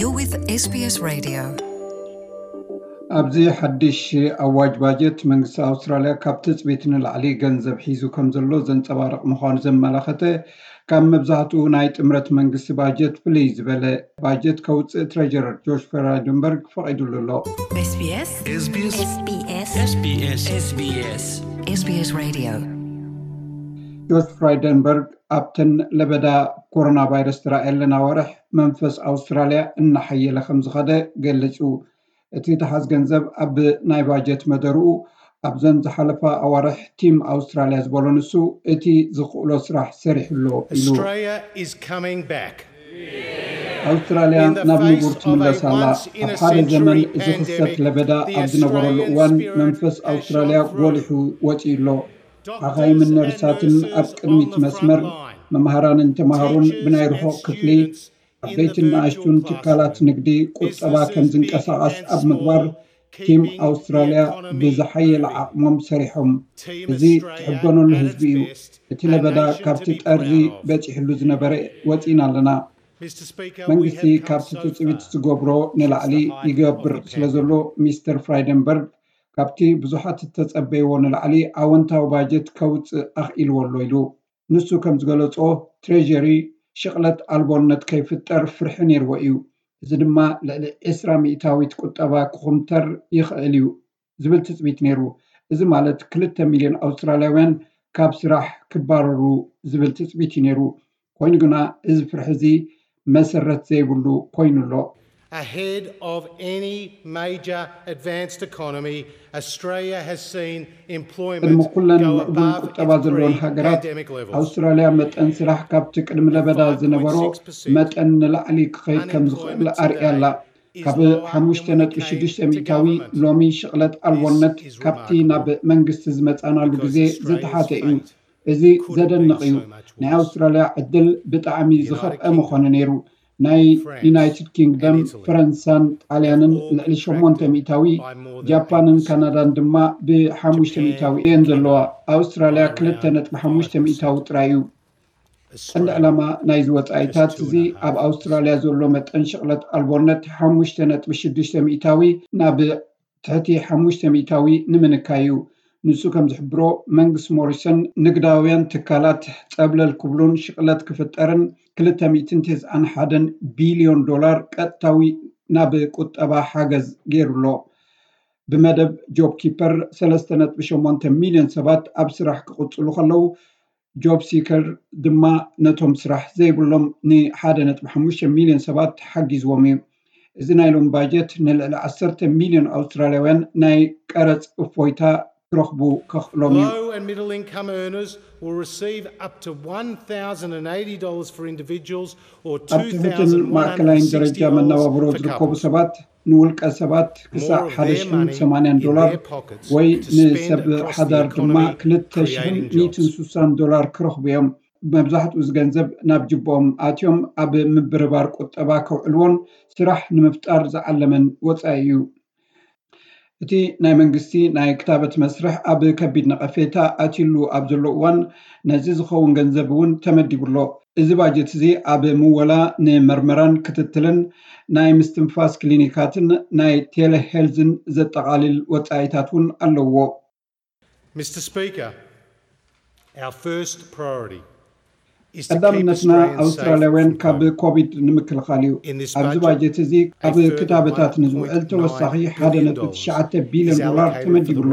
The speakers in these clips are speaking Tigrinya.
You're with S B S Radio. ኣብዚ ሓድሽ ኣዋጅ ባጀት መንግስቲ ኣውስትራልያ ካብ ትጽቢት ንላዕሊ ገንዘብ ሒዙ ከም ዘሎ ዘንጸባርቕ ምዃኑ ዘመላኸተ ካብ መብዛሕትኡ ናይ ጥምረት መንግስቲ ባጀት ፍልይ ዝበለ ባጀት ከውፅእ ትሬጀረር ጆሽ ፍራይደንበርግ ፈቒዱሉ ኣሎ። SBS SBS SBS SBS SBS Radio. ጆሽ ፍራይደንበርግ ኣብተን ለበዳ ኮሮና ቫይረስ ተራእየለን ኣዋርሕ መንፈስ ኣውስትራልያ እናሓየለ ከም ዝኸደ ገሊጹ። እቲ ተሓዝ ገንዘብ ኣብ ናይ ባጀት መደርኡ ኣብዘን ዝሓለፋ ኣዋርሕ ቲም ኣውስትራልያ ዝበሎ ንሱ እቲ ዝኽእሎ ስራሕ ሰሪሑ ኣሎ ኢሉ። Australia is coming back. ኣውስትራልያ ናብ ንቡር ትምለስ ኣላ። ኣብ ሓደ ዘመን ዝኽሰት ለበዳ ኣብ ዝነበረሉ እዋን መንፈስ ኣውስትራልያ ጎሊሑ ወፂኡ ኣሎ። ሓኻይምን ነርሳትን ኣብ ቅድሚት መስመር፣ መምሃራንን ተምሃሮን ብናይ ርሑቕ ክፍሊ፣ ዓበይትን ንኣሽቱን ትካላት ንግዲ ቁጠባ ከም ዝንቀሳቐስ ኣብ ምግባር ቲም ኣውስትራልያ ብዝሓየለ ዓቕሞም ሰሪሖም። እዚ ትሕበነሉ ህዝቢ እዩ። እቲ ለበዳ ካብቲ ጠርዚ በፂሕሉ ዝነበረ ወፂና ኣለና። መንግስቲ ካብቲ ትፅቢት ዝገብሮ ንላዕሊ ይገብር ስለ ዘሎ ሚስተር ፍራይደንበርግ ካብቲ ብዙሓት እተጸበይዎ ንላዕሊ ኣወንታዊ ባጀት ከውጽእ ኣኽኢልዎ ኣሎ ኢሉ። ንሱ ከም ዝገለጾ ትሬጀሪ ሽቕለት ኣልቦነት ከይፍጠር ፍርሒ ነይርዎ እዩ። እዚ ድማ ልዕሊ ዕስራ ሚእታዊት ቁጠባ ክኹምተር ይኽእል እዩ ዝብል ትጽቢት ነይሩ። እዚ ማለት ክልተ ሚልዮን ኣውስትራልያውያን ካብ ስራሕ ክባረሩ ዝብል ትጽቢት እዩ ነይሩ። ኮይኑ ግና እዚ ፍርሒ እዚ መሰረት ዘይብሉ ኮይኑ ኣሎ። Ahead of any major advanced economy, Australia has seen employment ቅድሚ ኩለን go ምዕቡል above ቁጠባ its ዘለወን ሃገራት pre-pandemic levels. ኣውስትራልያ መጠን ስራሕ ካብቲ ቅድሚ ለበዳ ዝነበሮ መጠን ንላዕሊ ክኸይድ ከም ዝኽእል ኣርእያ ኣላ። ካብ ሓሙሽተ ነጥቢ ሽዱሽተ ሚእታዊ ሎሚ ሽቕለት ኣልቦነት ካብቲ ናብ መንግስቲ ዝመጻናሉ ግዜ ዝተሓተ እዩ። እዚ ዘደንቕ እዩ። ናይ ኣውስትራልያ ዕድል ብጣዕሚ ዝኸፍአ ምኾነ ነይሩ። ናይ ዩናይትድ ኪንግደም፣ ፈረንሳን ጣልያንን ልዕሊ ሸሞንተ ሚእታዊ፣ ጃፓንን ካናዳን ድማ ብሓሙሽተ ሚእታዊ እየን ዘለዋ። ኣውስትራልያ ክልተ ነጥቢ ሓሙሽተ ሚእታዊ ጥራይ እዩ። ቀንዲ ዕላማ ናይዚ ወጻኢታት እዚ ኣብ ኣውስትራልያ ዘሎ መጠን ሽቕለት ኣልቦነት ሓሙሽተ ነጥቢ ሽዱሽተ ሚእታዊ ናብ ትሕቲ ሓሙሽተ ሚእታዊ ንምንካይ እዩ። ንሱ ከም ዝሕብሮ መንግስቲ ሞሪሰን ንግዳውያን ትካላት ጸብለል ክብሉን ሽቕለት ክፍጠርን ክልተ ሚእትን ተስዓን ሓደን ቢልዮን ዶላር ቀጥታዊ ናብ ቁጠባ ሓገዝ ገይሩ ኣሎ። ብመደብ ጆብ ኪፐር ሰለስተ ነጥቢ ሸሞንተ ሚልዮን ሰባት ኣብ ስራሕ ክቕጽሉ ከለዉ ጆብ ሲከር ድማ ነቶም ስራሕ ዘይብሎም ንሓደ ነጥቢ ሓሙሽተ ሚልዮን ሰባት ሓጊዝዎም እዩ። እዚ ናይ ሎሚ ባጀት ንልዕሊ ዓሰርተ ሚልዮን ኣውስትራልያውያን ናይ ቀረጽ እፎይታ ክረኽቡ ከኽእሎም እዩ። Low and middle income earners will receive up to one thousand and eighty dollars for individuals or ኣብ ትሑትን ማእከላይን ደረጃ መነባብሮ ዝርከቡ ሰባት ንውልቀ ሰባት ክሳዕ ሓደ ሽሕን ሰማንያን ዶላር ወይ ንሰብ ሓዳር ድማ ክልተ ሽሕን ሚእትን ስሳን ዶላር ክረኽቡ እዮም። መብዛሕትኡ እዚ ገንዘብ ናብ ጅቦኦም ኣትዮም ኣብ ምብርባር ቁጠባ ከውዕልዎን ስራሕ ንምፍጣር ዝዓለመን ወጻኢ እዩ። እቲ ናይ መንግስቲ ናይ ክታበት መስርሕ ኣብ ከቢድ ነቐፌታ ኣትዩሉ ኣብ ዘሎ እዋን ነዚ ዝኸውን ገንዘብ እውን ተመዲቡ ኣሎ። እዚ ባጀት እዚ ኣብ ምወላ ንመርመራን ክትትልን ናይ ምስትንፋስ ክሊኒካትን ናይ ቴሌሄልዝን ዘጠቓልል ወጻኢታት እውን ኣለዎ። Mister Speaker, our first priority is to keep ቀዳምነትና Australians safe ኣውስትራልያውያን from ካብ COVID. ኮቪድ ንምክልኻል እዩ። In this ኣብዚ budget, ባጀት እዚ ኣብ ክታበታት ንዝውዕል ተወሳኺ ሓደ ነጥቢ ትሽዓተ ቢልዮን ዶላር ተመዲቡ ኣሎ።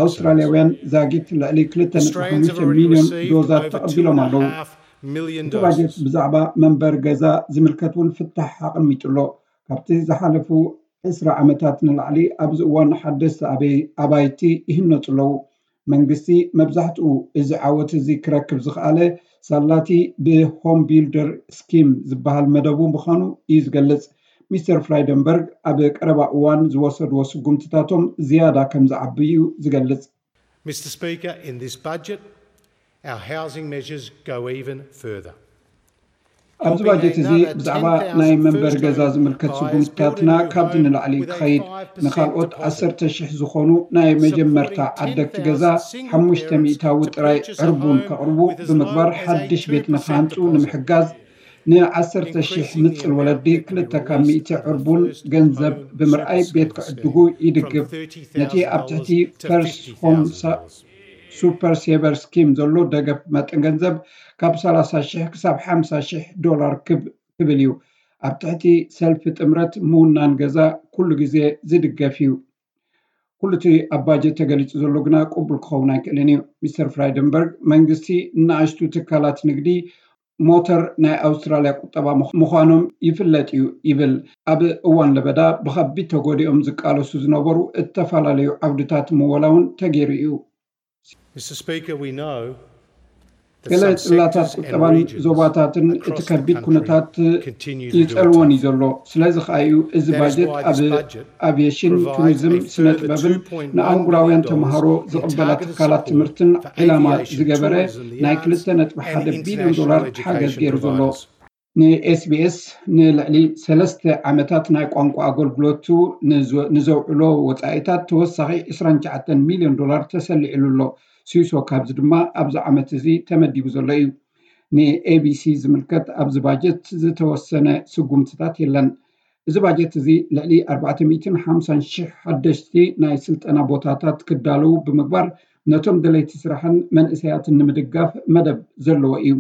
ኣውስትራልያውያን ዛጊት ልዕሊ ክልተ ነጥቢ ሓሙሽተ ሚልዮን ዶዛት ተቐቢሎም ኣለዉ። እቲ ባጀት ብዛዕባ መንበሪ ገዛ ዝምልከት እውን ፍታሕ ኣቐሚጡ ኣሎ። ካብቲ ዝሓለፉ ዕስራ ዓመታት ንላዕሊ ኣብዚ እዋን ሓደስቲ ኣበይ ኣባይቲ ይህነፁ ኣለዉ። መንግስቲ መብዛሕትኡ እዚ ዓወት እዚ ክረክብ ዝኸኣለ ሳላቲ ብሆም ቢልደር ስኪም ዝበሃል መደቡ ምዃኑ እዩ ዝገልጽ። ሚስተር ፍራይደንበርግ ኣብ ቀረባ እዋን ዝወሰድዎ ስጉምትታቶም ዝያዳ ከም ዝዓቢ እዩ ዝገልጽ። Mister Speaker, in this budget, our housing measures go even further. ኣብዚ ባጀት እዚ ብዛዕባ ናይ መንበሪ ገዛ ዝምልከት ስጉምትታትና ካብዚ ንላዕሊ ክኸይድ፣ ንካልኦት ዓሰርተ ሽሕ ዝኾኑ ናይ መጀመርታ ዓደግቲ ገዛ ሓሙሽተ ሚእታዊ ጥራይ ዕርቡን ከቕርቡ ብምግባር ሓድሽ ቤት ንክሃንፁ ንምሕጋዝ ንዓሰርተ ሺሕ ንጽል ወለዲ ክልተ ካብ ሚእቲ ዕርቡን ገንዘብ ብምርኣይ ቤት ክዕድጉ ይድግፍ። ነቲ ኣብ ትሕቲ ፈርስት ሆም ሱፐር ሴቨር ስኪም ዘሎ ደገፍ መጠን ገንዘብ ካብ ሰላሳ ሺሕ ክሳብ ሓምሳ ሺሕ ዶላር ክብል እዩ። ኣብ ትሕቲ ሰልፊ ጥምረት ምውናን ገዛ ኩሉ ግዜ ዝድገፍ እዩ። ኩሉ እቲ ኣብ ባጀት ተገሊጹ ዘሎ ግና ቅቡል ክኸውን ኣይክእልን እዩ። ሚስተር ፍራይደንበርግ መንግስቲ ንኣሽቱ ትካላት ንግዲ ሞተር ናይ ኣውስትራልያ ቁጠባ ምዃኖም ይፍለጥ እዩ ይብል። ኣብ እዋን ለበዳ ብኸቢድ ተጎዲኦም ዝቃለሱ ዝነበሩ እተፈላለዩ ዓውድታት ምወላ እውን ተገይሩ እዩ። ገለ ጽላታት ቁጠባን ዞባታትን እቲ ከቢድ ኩነታት ይጸልወን እዩ ዘሎ። ስለዚ ከኣ እዩ እዚ ባጀት ኣብ ኣቪየሽን፣ ቱሪዝም፣ ስነ ጥበብን ንኣህጉራውያን ተምሃሮ ዝቕበላ ትካላት ትምህርትን ዒላማ ዝገበረ ናይ ክልተ ነጥቢ ሓደ ቢልዮን ዶላር ሓገዝ ገይሩ ዘሎ። ንኤስቢኤስ ንልዕሊ ሰለስተ ዓመታት ናይ ቋንቋ ኣገልግሎቱ ንዘውዕሎ ወጻኢታት ተወሳኺ ዕስራን ትሽዓተን ሚልዮን ዶላር ተሰሊዕሉ ኣሎ። ስይሶ ካብዚ ድማ ኣብዚ ዓመት እዚ ተመዲቡ ዘሎ እዩ። ንኤቢሲ ዝምልከት ኣብዚ ባጀት ዝተወሰነ ስጉምትታት የለን። እዚ ባጀት እዚ ልዕሊ ኣርባዕተ ሚእትን ሓምሳን ሽሕ ሓደሽቲ ናይ ስልጠና ቦታታት ክዳለዉ ብምግባር ነቶም ደለይቲ ስራሕን መንእሰያትን ንምድጋፍ መደብ ዘለዎ እዩ።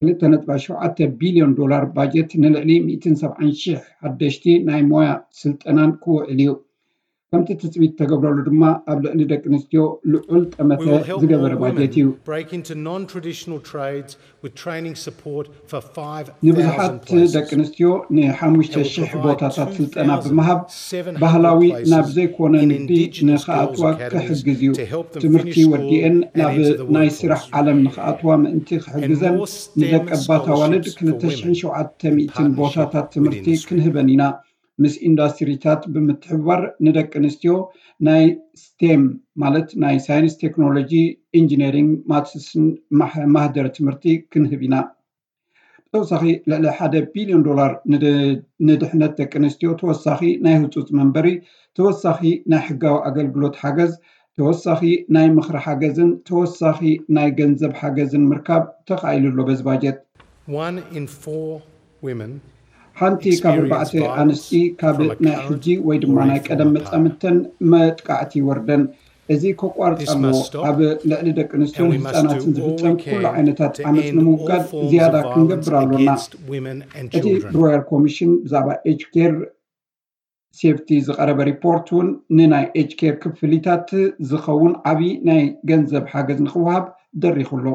ክልተ ነጥቢ ሸውዓተ ቢልዮን ዶላር ባጀት ንልዕሊ ሚእትን ሰብዓን ሽሕ ሓደሽቲ ናይ ሞያ ስልጠናን ክውዕል እዩ። ከምቲ ትጽቢት ተገብረሉ ድማ ኣብ ልዕሊ ደቂ ኣንስትዮ ልዑል ጠመተ ዝገበረ ባጀት እዩ። Break into non-traditional trades with training support for five thousand places. ንብዙሓት ደቂ ኣንስትዮ ንሓሙሽተ ሽሕ ቦታታት ስልጠና ብምሃብ ባህላዊ ናብ ዘይኮነ ንግዲ ንኽኣትዋ ክሕግዝ እዩ። ትምህርቲ ወዲኤን ናብ ናይ ስራሕ ዓለም ንኽኣትዋ ምእንቲ ክሕግዘን ንደቀባት ኣዋልድ ክልተ ሽሕን ሸውዓተ ሚእትን ቦታታት ትምህርቲ ክንህበን ኢና። ምስ ኢንዳስትሪታት ብምትሕብባር ንደቂ ኣንስትዮ ናይ ስቴም ማለት ናይ ሳይንስ፣ ቴክኖሎጂ፣ ኢንጂነሪንግ፣ ማትስን ማህደር ትምህርቲ ክንህብ ኢና። ብተወሳኺ ልዕሊ ሓደ ቢልዮን ዶላር ንድሕነት ደቂ ኣንስትዮ ተወሳኺ ናይ ህፁፅ መንበሪ፣ ተወሳኺ ናይ ሕጋዊ ኣገልግሎት ሓገዝ፣ ተወሳኺ ናይ ምኽሪ ሓገዝን ተወሳኺ ናይ ገንዘብ ሓገዝን ምርካብ ተኻኢሉ ኣሎ። በዚ ባጀት ሓንቲ ካብ ኣርባዕተ ኣንስቲ ካብ ናይ ሕጂ ወይ ድማ ናይ ቀደም መጻምድተን መጥቃዕቲ ይወርደን። እዚ ከቋርጽ ኣለዎ። ኣብ ልዕሊ ደቂ ኣንስትዮን ህጻናትን ዝፍጸም ኩሉ ዓይነታት ዓመጽ ንምውጋድ ዝያዳ ክንገብር ኣሎና። እቲ ብሮያል ኮሚሽን ብዛዕባ ኤጅ ኬር ሴፍቲ ዝቐረበ ሪፖርት እውን ንናይ ኤጅ ኬር ክፍሊታት ዝኸውን ዓብዪ ናይ ገንዘብ ሓገዝ ንክወሃብ ደሪኹ ኣሎ።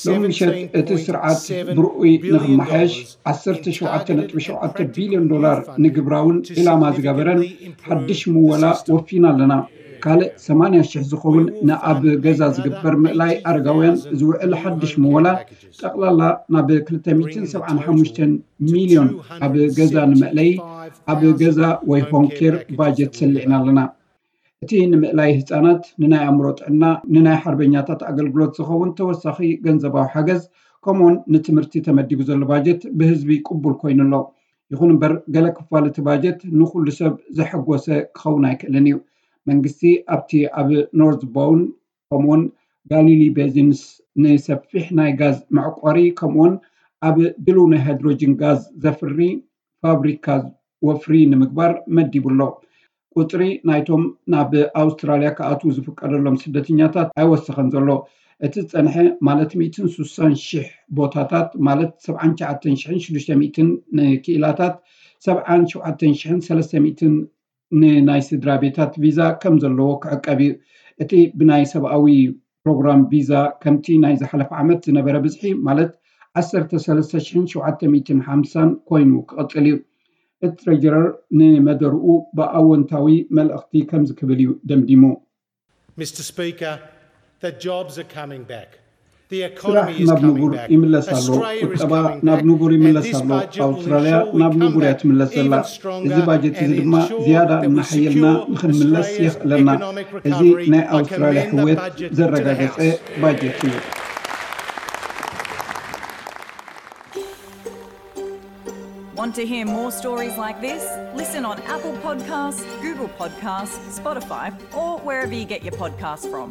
ሎሚ ምሸት እቲ ስርዓት ብርኡይ ንክመሓየሽ ዓሰርተ ሸውዓተ ነጥቢ ሸውዓተ ቢልዮን ዶላር ንግብራውን ዒላማ ዝገበረን ሓድሽ ምወላ ወፊና ኣለና። ካልእ ሰማንያ ሽሕ ዝኸውን ንኣብ ገዛ ዝግበር ምእላይ ኣረጋውያን ዝውዕል ሓድሽ ምወላ ጠቕላላ ናብ ክልተ ሚእትን ሰብዓን ሓሙሽተን ሚልዮን ኣብ ገዛ ንመእለይ ኣብ ገዛ ወይ ሆም ኬር ባጀት ሰሊዕና ኣለና። እቲ ንምእላይ ህፃናት፣ ንናይ ኣእምሮ ጥዕና፣ ንናይ ሓርበኛታት ኣገልግሎት ዝኸውን ተወሳኺ ገንዘባዊ ሓገዝ ከምኡውን ንትምህርቲ ተመዲቡ ዘሎ ባጀት ብህዝቢ ቅቡል ኮይኑ ኣሎ። ይኹን እምበር ገለ ክፋል እቲ ባጀት ንኹሉ ሰብ ዘሐጎሰ ክኸውን ኣይክእልን እዩ። መንግስቲ ኣብቲ ኣብ ኖርዝ ቦውን ከምኡውን ጋሊሊ ቤዚንስ ንሰፊሕ ናይ ጋዝ መዕቆሪ ከምኡውን ኣብ ድልው ናይ ሃይድሮጅን ጋዝ ዘፍሪ ፋብሪካ ወፍሪ ንምግባር መዲቡ ኣሎ። ቁፅሪ ናይቶም ናብ ኣውስትራልያ ክኣትዉ ዝፍቀደሎም ስደተኛታት ኣይወሰኸን ዘሎ። እቲ ዝፀንሐ ማለት ሚእትን ስሳን ሽሕ ቦታታት ማለት ሰብዓን ትሽዓተን ሽሕን ሽዱሽተ ሚእትን ንክኢላታት ሰብዓን ሸውዓተን ሽሕን ሰለስተ ሚእትን ንናይ ስድራ ቤታት ቪዛ ከም ዘለዎ ክዕቀብ እዩ። እቲ ብናይ ሰብኣዊ ፕሮግራም ቪዛ ከምቲ ናይ ዝሓለፈ ዓመት ዝነበረ ብዝሒ ማለት ዓሰርተ ሰለስተ ሽሕን ሸውዓተ ሚእትን ሓምሳን ኮይኑ ክቕጽል እዩ። እቲ ትሬጀረር ንመደርኡ ብኣወንታዊ መልእኽቲ ከምዚ ክብል እዩ ደምዲሙ። Mister Speaker, the jobs are coming back. The economy is coming back. Australia is coming back. And this budget will ensure we come back even stronger and ensure that we secure Australia's economic recovery and the economic recovery of Australia. ቁጠባ ናብ ንቡር ይምለስ ኣሎ። ቁጠባ ናብ ንቡር ይምለስ ኣሎ። ኣብ ኣውስትራልያ ናብ ንቡር እያ ትምለስ ዘላ። እዚ ባጀት እዚ ድማ ዝያዳ እናሓየልና ንኽንምለስ የኽእለና። እዚ ናይ ኣውስትራልያ ሕውየት ዘረጋገጸ ባጀት እዩ። Want to hear more stories like this? Listen on Apple Podcasts, Google Podcasts, Spotify, or wherever you get your podcasts from.